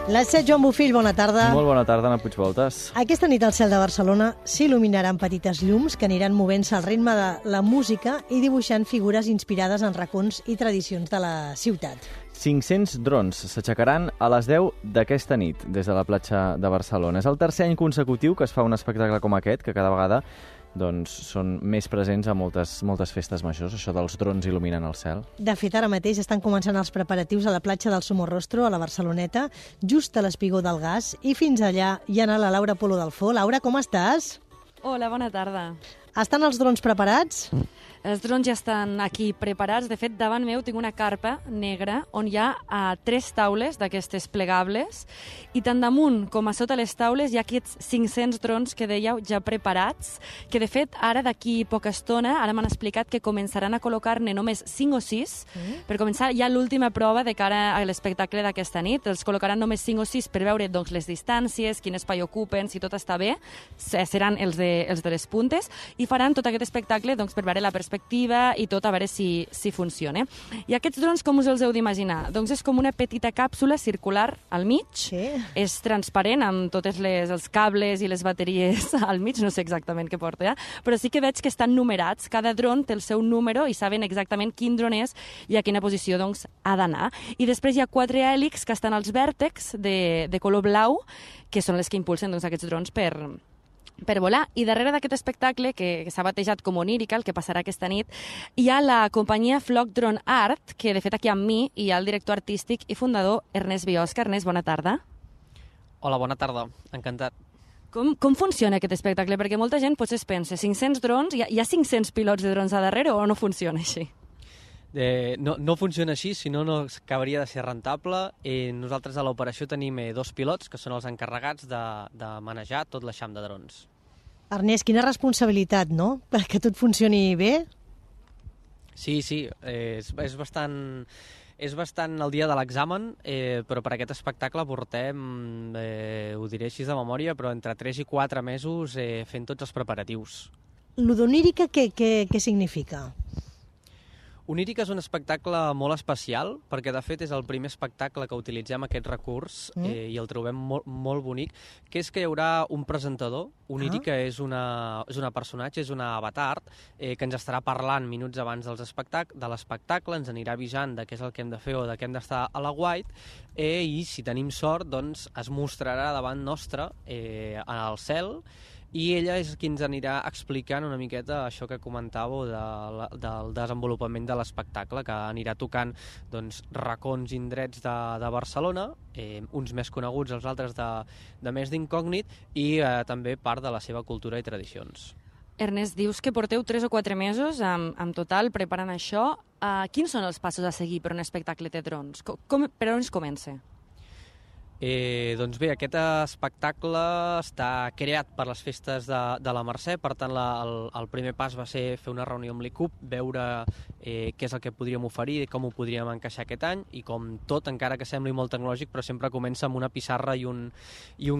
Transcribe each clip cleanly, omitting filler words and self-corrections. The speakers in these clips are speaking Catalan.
Les 7, Joan Bofill, bona tarda. Molt bona tarda, Anna Puigvoltes. Aquesta nit al cel de Barcelona s'il·luminaran petites llums que aniran movent-se al ritme de la música i dibuixant figures inspirades en racons i tradicions de la ciutat. 500 drons s'aixecaran a les 10 d'aquesta nit des de la platja de Barcelona. És el tercer any consecutiu que es fa un espectacle com aquest, que cada vegada són més presents a moltes festes majors, això dels drons il·luminant el cel. De fet, ara mateix estan començant els preparatius a la platja del Somorrostro, a la Barceloneta, just a l'Espigó del Gas, i fins allà hi ha anat la Laura Polo Dalfó. Laura, com estàs? Hola, bona tarda. Estan els drons preparats? Els drons ja estan aquí preparats. De fet, davant meu tinc una carpa negra on hi ha 3 taules d'aquestes plegables i tant damunt com a sota les taules hi ha aquests 500 drons que dèieu ja preparats, que de fet ara d'aquí poca estona, ara m'han explicat que començaran a col·locar-ne només 5 o 6. Per començar, hi ha l'última prova de cara a l'espectacle d'aquesta nit. Els col·locaran només 5 o 6 per veure doncs, les distàncies, quin espai ocupen, si tot està bé. Seran els de les puntes i faran tot aquest espectacle doncs, per veure la perspectiva i tot, a veure si funciona. I aquests drons, com us els heu d'imaginar? Doncs és com una petita càpsula circular al mig, és transparent amb tots els cables i les bateries al mig, no sé exactament què porta, però sí que veig que estan numerats, cada dron té el seu número i saben exactament quin dron és i a quina posició doncs, ha d'anar. I després hi ha 4 hèlixs que estan als vèrtexs de color blau, que són les que impulsen doncs, aquests drons per volar. I darrere d'aquest espectacle, que s'ha batejat com Onírica, el que passarà aquesta nit, hi ha la companyia Flock Drone Art, que de fet aquí amb mi hi ha el director artístic i fundador Ernest Biosca. Ernest, bona tarda. Hola, bona tarda. Encantat. Com funciona aquest espectacle? Perquè molta gent potser es pensa, 500 drons, hi ha 500 pilots de drons a darrere o no funciona així? No funciona així, si no acabaria de ser rentable. Nosaltres a l'operació tenim 2 pilots, que són els encarregats de manejar tot l'eixam de drons. Ernest, quina responsabilitat, no?, perquè tot funcioni bé? Sí, és bastant el dia de l'examen, però per aquest espectacle portem, ho diré així de memòria, però entre 3 i 4 mesos fent tots els preparatius. Lo d'Onírica què significa? Onírica és un espectacle molt especial, perquè de fet és el primer espectacle que utilitzem aquest recurs i el trobem molt bonic, que és que hi haurà un presentador. Onírica és una personatge, és una avatar, que ens estarà parlant minuts abans de l'espectacle, ens anirà avisant de què és el que hem de fer o de què hem d'estar a la White, i si tenim sort doncs, es mostrarà davant nostre al cel, i ella és qui ens anirà explicant una miqueta això que comentàveu del desenvolupament de l'espectacle, que anirà tocant doncs, racons i indrets de Barcelona, uns més coneguts, els altres de més d'incògnit, i també part de la seva cultura i tradicions. Ernest, dius que porteu 3 o 4 mesos en total preparant això. Quins són els passos a seguir per un espectacle de drons? Per on es comença? Doncs bé, aquest espectacle està creat per les festes de la Mercè, per tant el primer pas va ser fer una reunió amb l'ICUP, veure què és el que podríem oferir i com ho podríem encaixar aquest any, i com tot, encara que sembli molt tecnològic, però sempre comença amb una pissarra i un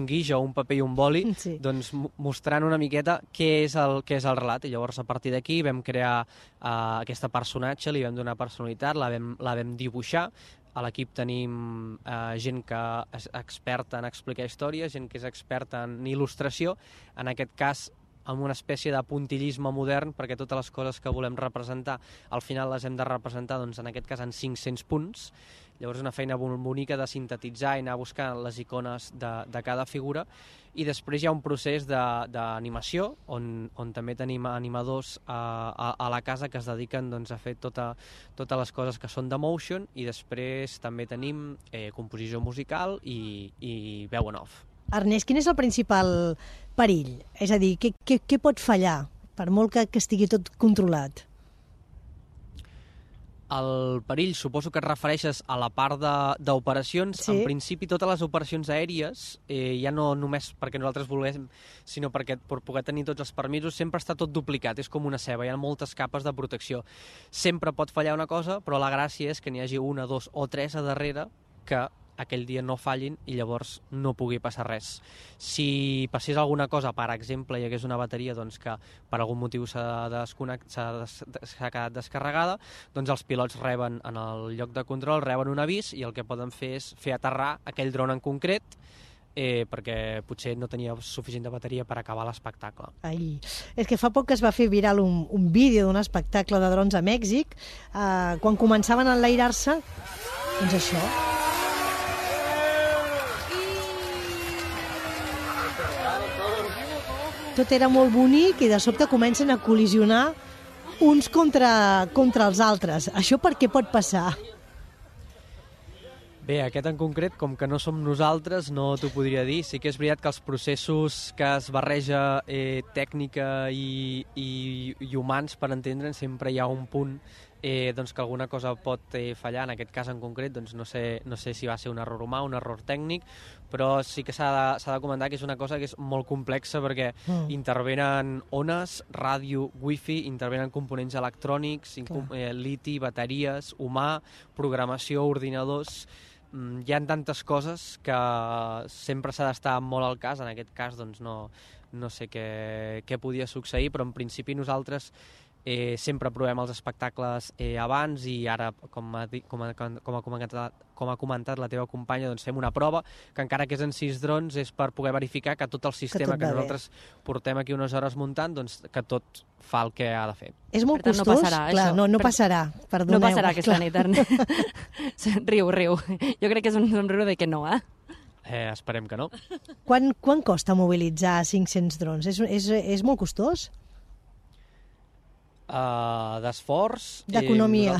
guix o un paper i un boli, doncs mostrant una miqueta què és el relat, i llavors a partir d'aquí vam crear aquesta personatge, li vam donar personalitat, la vam dibuixar. A l'equip tenim gent que és experta en explicar històries, gent que és experta en il·lustració, en aquest cas amb una espècie de puntillisme modern, perquè totes les coses que volem representar al final les hem de representar, doncs, en aquest cas en 500 punts. Llavors una feina bonica de sintetitzar i anar buscant les icones de cada figura, i després hi ha un procés d'animació on també tenim animadors a la casa que es dediquen doncs, a fer totes les coses que són de motion, i després també tenim composició musical i veu en off. Ernest, quin és el principal perill? És a dir, què pot fallar, per molt que estigui tot controlat? El perill, suposo que et refereixes a la part d'operacions. Sí. En principi, totes les operacions aèries, ja no només perquè nosaltres volem, sinó perquè per poder tenir tots els permisos, sempre està tot duplicat, és com una ceba, hi ha moltes capes de protecció. Sempre pot fallar una cosa, però la gràcia és que n'hi hagi 1, 2 o 3 a darrere que aquell dia no fallin i llavors no pugui passar res. Si passés alguna cosa, per exemple, hi hagués una bateria doncs, que per algun motiu s'ha quedat descarregada, doncs els pilots reben en el lloc de control, reben un avís i el que poden fer és fer aterrar aquell dron en concret perquè potser no tenia suficient de bateria per acabar l'espectacle. Ai, és que fa poc que es va fer viral un vídeo d'un espectacle de drons a Mèxic, quan començaven a enlairar-se, doncs això. Tot era molt bonic i de sobte comencen a col·lisionar uns contra els altres. Això per què pot passar? Bé, aquest en concret, com que no som nosaltres, no t'ho podria dir. Sí que és veritat que els processos que es barreja tècnica i humans, per entendre'n, sempre hi ha un punt doncs que alguna cosa pot fallar. En aquest cas en concret, doncs no sé si va ser un error humà, un error tècnic, però sí que s'ha de comentar que és una cosa que és molt complexa perquè intervenen ones, ràdio, wifi, intervenen components electrònics, liti, bateries, humà, programació, ordinadors. Hi ha tantes coses que sempre s'ha d'estar molt al cas. En aquest cas doncs no sé què podia succeir, però en principi nosaltres sempre provem els espectacles abans i ara, com ha comentat la teva companya, doncs fem una prova que encara que és en 6 drons és per poder verificar que tot el sistema que nosaltres portem aquí unes hores muntant, doncs que tot fa el que ha de fer. És molt costós? No passarà, clar, no passarà, perdoneu. No passarà aquesta nit, Ernest. Riu. Jo crec que és un somriure de que no, Esperem que no. Quan costa mobilitzar 500 drons? És molt costós? D'esforç... D'economia.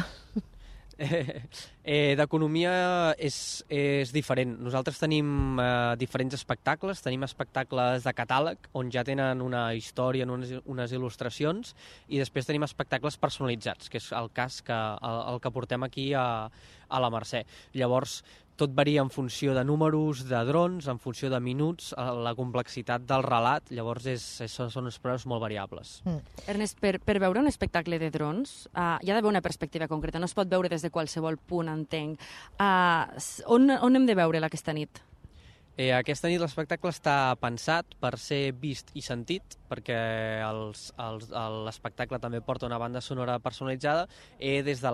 D'economia és diferent. Nosaltres tenim diferents espectacles. Tenim espectacles de catàleg, on ja tenen una història, unes il·lustracions, i després tenim espectacles personalitzats, que és el cas el que portem aquí a la Mercè. Llavors, tot varia en funció de números, de drons, en funció de minuts, la complexitat del relat, llavors són uns preus molt variables. Ernest, per veure un espectacle de drons hi ha d'haver una perspectiva concreta, no es pot veure des de qualsevol punt, entenc. On hem de veure-la aquesta nit? Aquesta nit l'espectacle està pensat per ser vist i sentit, perquè l'espectacle també porta una banda sonora personalitzada des de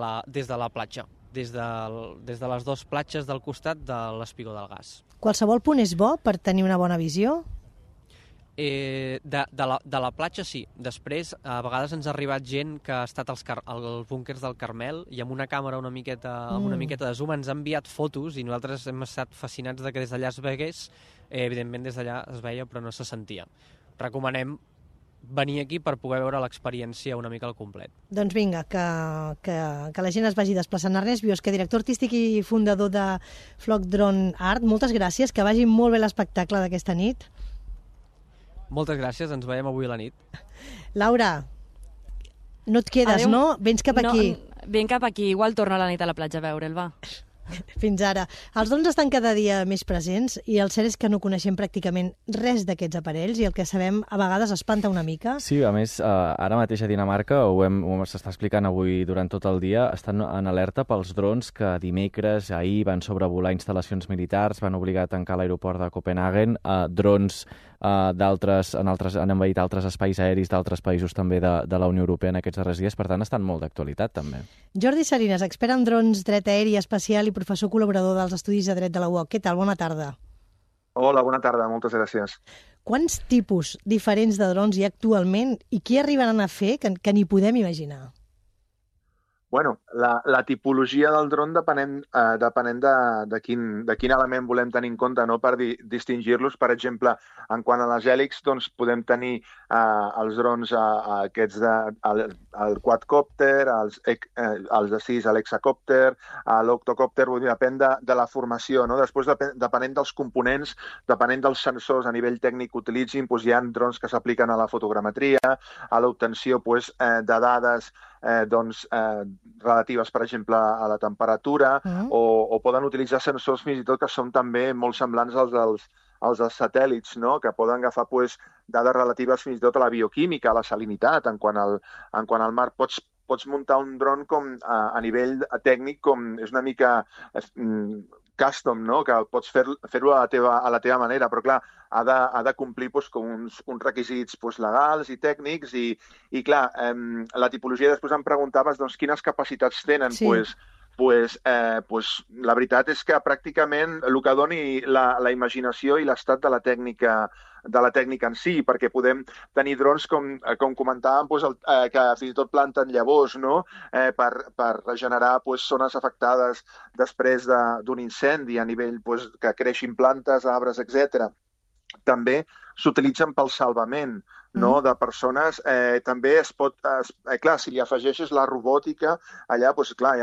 la platja, des de les 2 platges del costat de l'Espigó del Gas. Qualsevol punt és bo per tenir una bona visió? De la platja sí. Després, a vegades ens ha arribat gent que ha estat als búnquers del Carmel i amb una càmera amb una miqueta de zoom ens ha enviat fotos i nosaltres hem estat fascinats de que des d'allà es vegués. Evidentment des d'allà es veia però no se sentia. Recomanem venir aquí per poder veure l'experiència una mica al complet. Doncs vinga, que la gent es vagi desplaçant. Ernest Biosca, director artístic i fundador de Flock Drone Art, moltes gràcies, que vagi molt bé l'espectacle d'aquesta nit. Moltes gràcies, ens veiem avui a la nit. Laura, no et quedes, adeu. No? Vens cap aquí. Ven cap aquí, igual torna a la nit a la platja a veure'l, va. Fins ara. Els drons estan cada dia més presents i el cert és que no coneixem pràcticament res d'aquests aparells i el que sabem a vegades espanta una mica. Sí, a més, ara mateix a Dinamarca, s'està explicant avui durant tot el dia, estan en alerta pels drons que dimecres, ahir, van sobrevolar instal·lacions militars, van obligar a tancar l'aeroport de Copenhagen, drons han envaït altres espais aeris d'altres països també de la Unió Europea en aquests darrers dies, per tant estan molt d'actualitat també. Jordi Salinas, expert en drons, dret aeri espacial i professor col·laborador dels Estudis de Dret de la UOC. Què tal? Bona tarda. Hola, bona tarda, moltes gràcies. Quants tipus diferents de drons hi ha actualment i què arribaran a fer que ni podem imaginar? Bueno, la tipologia del dron depenent de quin element volem tenir en compte, no, per distingir-los. Per exemple, en quant a les hèlixs, doncs podem tenir els drons aquests el quadcòpter, els de 6, l'hexacòpter, l'octocòpter, vull dir, depèn de la formació, no? Després, depenent dels components, depenent dels sensors a nivell tècnic que utilitzin, doncs hi ha drons que s'apliquen a la fotogrametria, a l'obtenció de dades relatives, per exemple, a la temperatura, o poden utilitzar sensors fins i tot que són també molt semblants als dels satèl·lits, no? Que poden agafar dades relatives fins i tot a la bioquímica, a la salinitat. En quant al mar, pots muntar un dron com a nivell tècnic, com és una mica custom, no? Que pots fer-ho a la teva manera, però clar, ha de complir doncs, com uns requisits doncs, legals i tècnics i clar, la tipologia després em preguntaves doncs, quines capacitats tenen. Sí. La veritat és que pràcticament el que doni la imaginació i l'estat de la tècnica en si, perquè podem tenir drons, com comentàvem, que fins i tot planten llavors, no? Per regenerar zones afectades després d'un incendi a nivell que creixin plantes, arbres, etc. També s'utilitzen pel salvament, no? De persones. També es pot... clar, si li afegeixes la robòtica, allà, doncs, clar,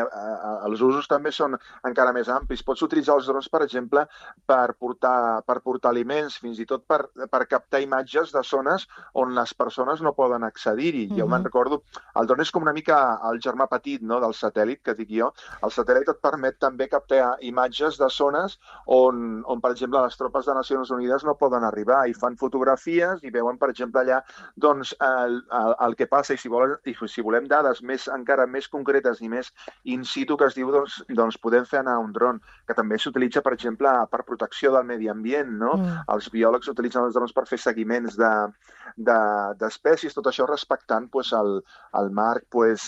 els usos també són encara més amplis. Pots utilitzar els drons, per exemple, per portar aliments, fins i tot per captar imatges de zones on les persones no poden accedir-hi. Jo me'n recordo, el dron és com una mica el germà petit, no?, del satèl·lit, que dic jo. El satèl·lit et permet també captar imatges de zones on, per exemple, les tropes de Nacions Unides no poden arribar i fan fotografies i veuen, per exemple, allà doncs, el que passa, i si volem dades encara més concretes i més in situ, que es diu, doncs podem fer anar un dron, que també s'utilitza, per exemple, per protecció del medi ambient, no? Els biòlegs utilitzen els drons per fer seguiments d'espècies, tot això respectant el marc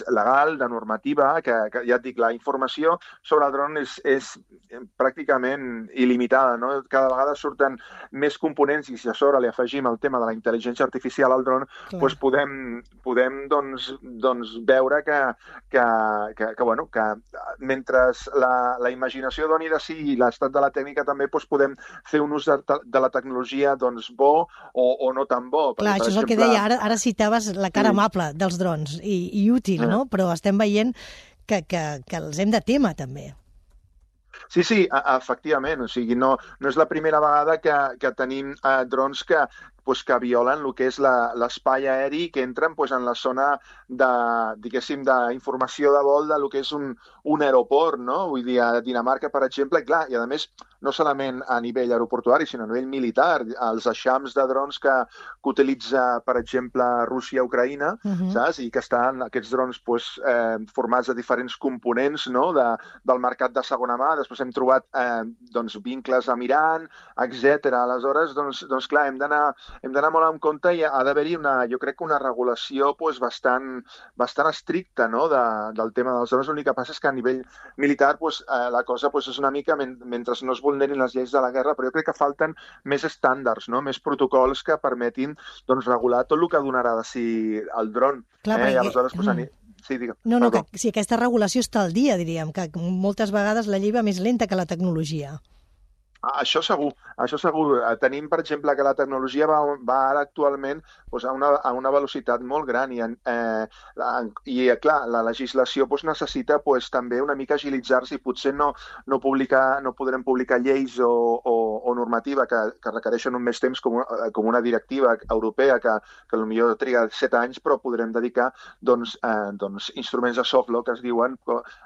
legal, de normativa, que ja et dic, la informació sobre el dron és pràcticament il·limitada, no? Cada vegada surten més components i si a sobre li afegim el tema de la intel·ligència artificial al dron, doncs podem veure que mentre la imaginació doni de si i l'estat de la tècnica també podem fer un ús de la tecnologia bo o no tan bo. Clar, això és el que deia, ara citaves la cara amable dels drons i útil, no? Però estem veient que els hem de témer també. Sí, efectivament. O sigui, no és la primera vegada que tenim drons que violen el que és l'espai aeri, que entren en la zona d'informació de vol del que és un aeroport, no? Vull dir, a Dinamarca, per exemple, i a més, no solament a nivell aeroportuari, sinó a nivell militar, els eixams de drons que utilitza, per exemple, Rússia i Ucraïna, saps? I que estan aquests drons formats de diferents components, no?, del mercat de segona mà. Després hem trobat vincles amb Iran, etc. Aleshores, doncs clar, hem d'anar molt en compte i ha d'haver-hi jo crec que una regulació bastant estricta, no?, del tema dels drons. L'únic que passa és que a nivell militar la cosa és una mica, mentre no es vulnerin les lleis de la guerra, però jo crec que falten més estàndards, no?, més protocols que permetin regular tot el que donarà de si el dron. Clar, aleshores, sí, digue'm. No, que si aquesta regulació està al dia, diríem, que moltes vegades la llei va més lenta que la tecnologia. Això segur. Tenim, per exemple, que la tecnologia va ara actualment a una velocitat molt gran i clar, la legislació necessita també una mica agilitzar-se i potser no podrem publicar lleis o normativa que requereixen un més temps com una directiva europea que potser triga 7 anys, però podrem dedicar instruments de soft law que es diuen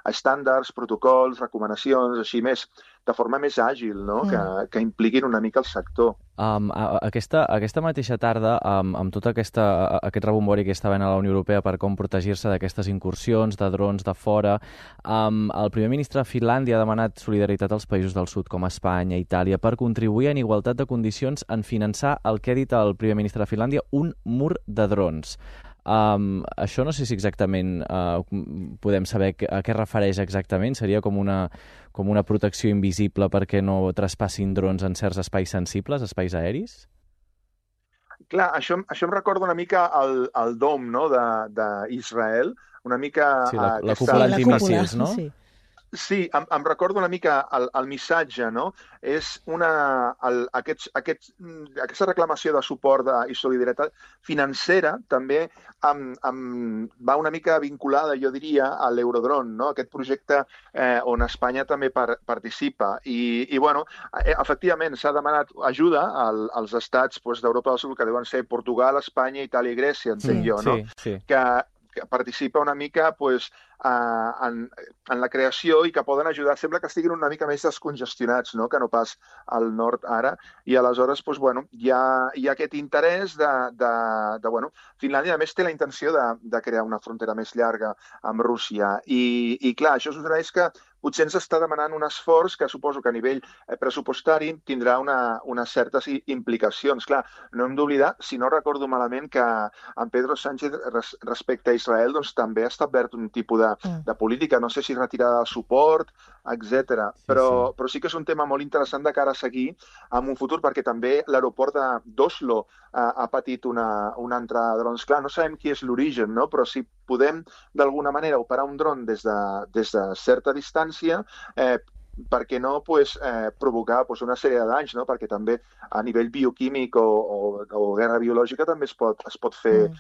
estàndards, protocols, recomanacions, així més, de forma més àgil, no?, que impliquin una mica el sector. Aquesta mateixa tarda, amb tot aquest rebombori que està havent a la Unió Europea per com protegir-se d'aquestes incursions de drons de fora, el primer ministre de Finlàndia ha demanat solidaritat als països del sud, com Espanya, Itàlia, per contribuir en igualtat de condicions en finançar el que ha dit el primer ministre de Finlàndia, un mur de drons. Això no sé si exactament podem saber a què refereix exactament. Seria com una protecció invisible perquè no traspassin drons en certs espais sensibles, espais aeris? Clar, això em recorda una mica el DOM, no?, d'Israel, una mica... Sí, la cúpula antimíssils, no? Sí. Sí, em recordo una mica el missatge, no? És aquesta reclamació de suport i solidaritat financera també va una mica vinculada, jo diria, a l'Eurodrone, no?, aquest projecte on Espanya també participa. I efectivament, s'ha demanat ajuda als estats d'Europa del Sud, que deuen ser Portugal, Espanya, Itàlia i Grècia, entenc jo, no? Sí. Que participa una mica en la creació i que poden ajudar. Sembla que estiguin una mica més descongestionats, no?, que no pas al nord ara. I aleshores, hi ha aquest interès Finlàndia, a més, té la intenció de crear una frontera més llarga amb Rússia. I clar, això succeeix que potser ens està demanant un esforç que suposo que a nivell pressupostari tindrà unes certes implicacions. Clar, no hem d'oblidar, si no recordo malament, que en Pedro Sánchez respecte a Israel doncs, també ha establert un tipus de política, no sé si retirada de suport, etc. Però sí que és un tema molt interessant de cara a seguir en un futur, perquè també l'aeroport d'Oslo ha patit una entrada de drons. Clar, no sabem qui és l'origen, no? Però si podem d'alguna manera operar un dron des de certa distància, per què no provocar una sèrie de danys, no? Perquè també a nivell bioquímic o guerra biològica també es pot fer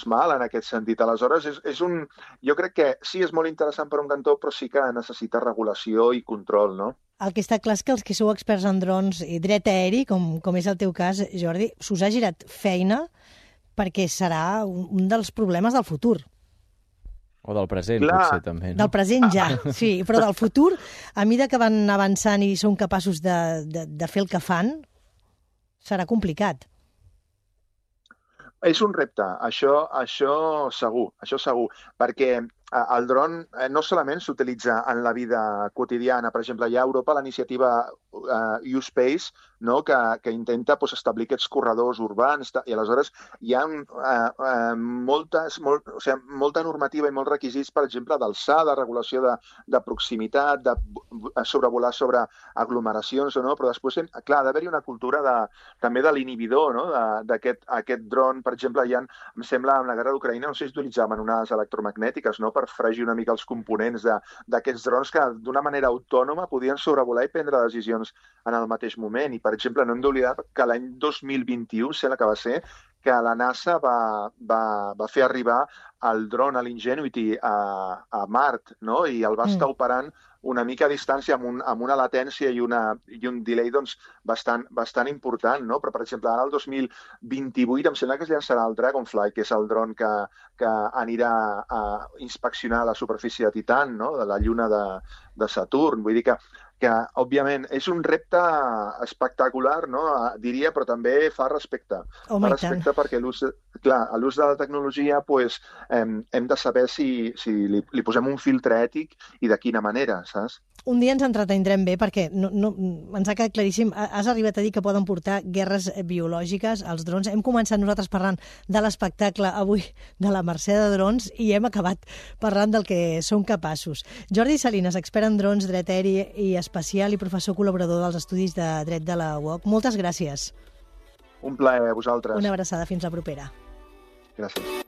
mal en aquest sentit. Aleshores, jo crec que sí és molt interessant per un cantó, però sí que necessita regulació i control, no? El que està clar és que els que sou experts en drons i dret aeri, com és el teu cas, Jordi, s'us ha girat feina perquè serà un dels problemes del futur. O del present, potser, també. No? Del present ja, sí, però del futur, a mesura que van avançant i són capaços de fer el que fan, serà complicat. És un repte, això segur, perquè el dron no solament s'utilitza en la vida quotidiana. Per exemple, hi ha a Europa la iniciativa U-Space, no? que intenta establir aquests corredors urbans, i aleshores hi ha molta normativa i molts requisits, per exemple, d'alçada, regulació de proximitat, de sobrevolar sobre aglomeracions o no, però després, clar, ha d'haver-hi una cultura també de l'inhibidor, no? d'aquest dron. Per exemple, em sembla, en la guerra d'Ucraïna, no sé si utilitzaven unes electromagnètiques, no?, per fregir una mica els components d'aquests drons que d'una manera autònoma podien sobrevolar i prendre decisions en el mateix moment. I, per exemple, no hem d'oblidar que l'any 2021, sembla que va ser, que la NASA va fer arribar el dron, l'Ingenuity, a Mart, no? I el va estar operant una mica a distància amb una latència i un delay bastant important, no? Però, per exemple, ara el 2028 em sembla que es llançarà el Dragonfly, que és el dron que anirà a inspeccionar la superfície de Titan, no? De la lluna de Saturn. Vull dir que òbviament, és un repte espectacular, no? Diria, però també fa respecte. Fa respecte perquè a l'ús de la tecnologia hem de saber si li posem un filtre ètic i de quina manera, saps? Un dia ens entretindrem bé perquè ens ha quedat claríssim. Has arribat a dir que poden portar guerres biològiques als drons. Hem començat nosaltres parlant de l'espectacle avui de la Mercè de Drons i hem acabat parlant del que són capaços. Jordi Salinas, expert en drons, dret aeri i espacial i professor col·laborador dels estudis de dret de la UOC. Moltes gràcies. Un plaer a vosaltres. Una abraçada, fins la propera. Gràcies.